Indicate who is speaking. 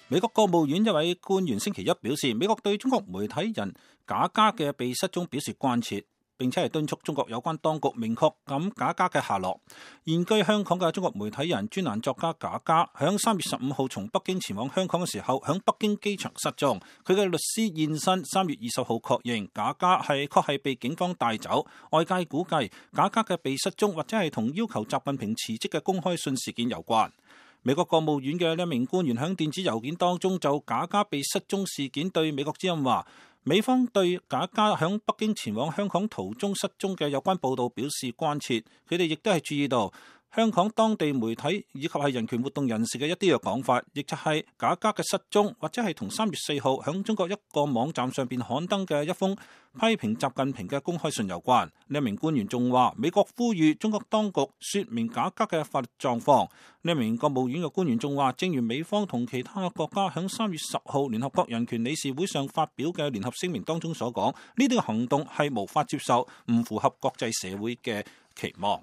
Speaker 1: 美國國務院一位官員星期一表示，美國對中國媒體人賈嘉嘅被失蹤表示關切，並且係敦促中國有關當局明確咁賈嘉嘅下落。現居香港嘅中國媒體人專欄作家賈嘉，響3月15號從北京前往香港嘅時候，響北京機場失蹤。佢嘅律師現身3月20號確認賈嘉確係被警方帶走。外界估計賈嘉嘅被失蹤或者係同要求習近平辭職嘅公開信事件有關。美國國務院嘅一名官員喺電子郵件當中就賈嘉被失蹤事件對美國之音話，美方對賈嘉喺北京前往香港途中失蹤嘅有關報道表示關切。佢哋亦都係注意到香港當地媒體以及係人權活動人士嘅一啲嘅講法，亦就係賈嘉嘅失蹤或者係同3月4號喺中國一個網站上邊刊登嘅一封批評習近平嘅公開信有關。呢一名官員仲話，美國呼籲中國當局說明賈嘉嘅法律狀況。呢一名國務院嘅官員仲話，正如美方同其他國家喺3月10號聯合國人權理事會上發表嘅聯合聲明當中所講，呢啲嘅行動係無法接受，唔符合國際社會嘅期望。